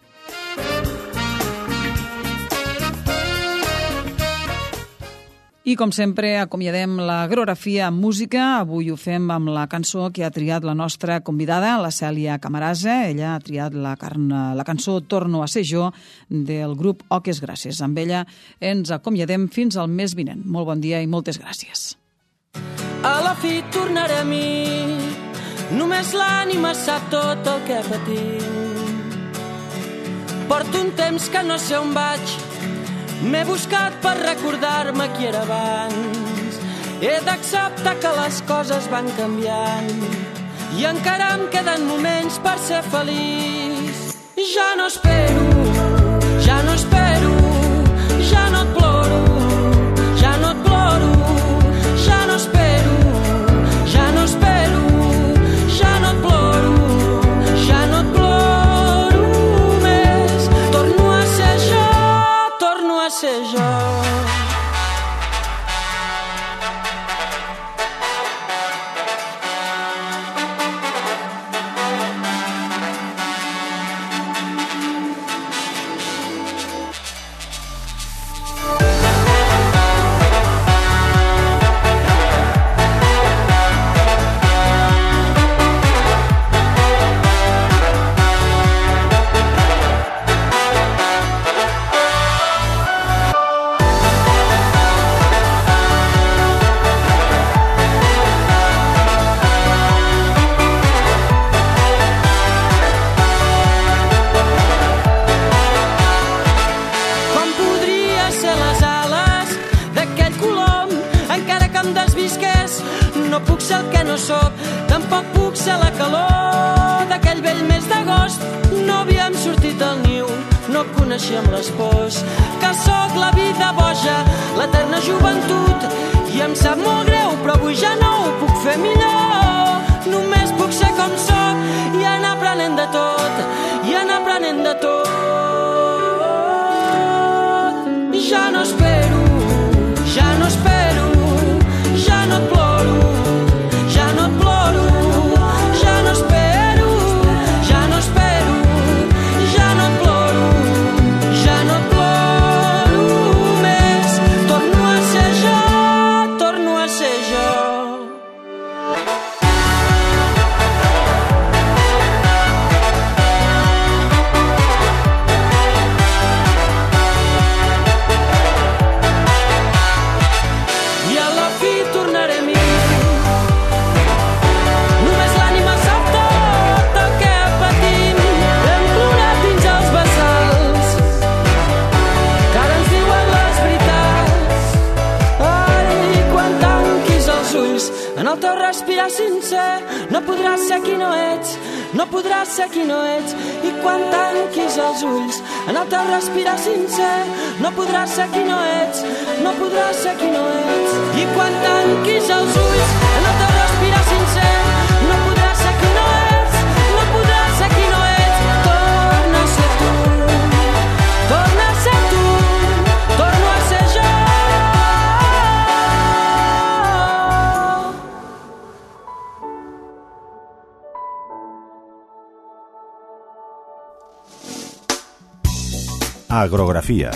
I, com sempre, acomiadem l'agrografia amb música. Avui ho fem amb la cançó que ha triat la nostra convidada, la Cèlia Camarasa. Ella ha triat la cançó Torno a ser jo, del grup Oques Grasses. Amb ella ens acomiadem fins al mes vinent. Molt bon dia i moltes gràcies. A la fi tornaré a mi, només l'ànima sap tot el que patim. Porto un temps que no sé on vaig, m'he buscat per recordar-me qui era abans. He d'acceptar que les coses van canviant i encara em queden moments per ser feliç. Ja no espero, ja no espero, ja no et ploro, ja no et ploro, ja no espero, ja no espero, ja no et ploro, ja no et ploro més. Torno a ser jo, torno a ser jo. ser el que no sóc, tampoc puc ser la calor d'aquell vell mes d'agost. No havíem sortit al niu, no coneixíem les pors, que sóc la vida boja, l'eterna joventut, i em sap molt greu, però avui ja no ho puc fer millor. Només puc ser com sóc i anar aprenent de tot, i anar aprenent de tot. Ja no espero, ja no espero, ja no et ploro, ja no et ploro, ja no espero, ja no espero, ja no et ploro, ja no et ploro més. Torno a ser jo, torno a ser jo. En el teu respirar sincer no podràs ser qui no ets, no podràs ser qui no ets. I quan tanquis els ulls, en el teu respirar sincer no podràs ser qui no ets, no podràs ser qui no ets. I quan tanquis els ulls, en el teu respirar sincer no podràs ser qui no ets, no podràs ser qui no ets. Torna a ser tu, torna a ser tu, torno a ser jo. Agrografia,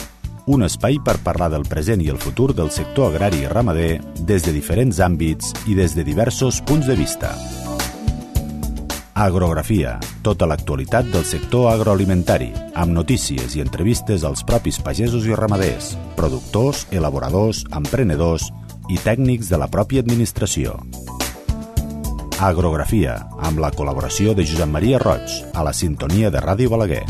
un espai per parlar del present i el futur del sector agrari i ramader des de diferents àmbits i des de diversos punts de vista. Agrografia, tota l'actualitat del sector agroalimentari, amb notícies i entrevistes als propis pagesos i ramaders, productors, elaboradors, emprenedors i tècnics de la pròpia administració. Agrografia, amb la col·laboració de Josep Maria Roig, a la sintonia de Ràdio Balaguer.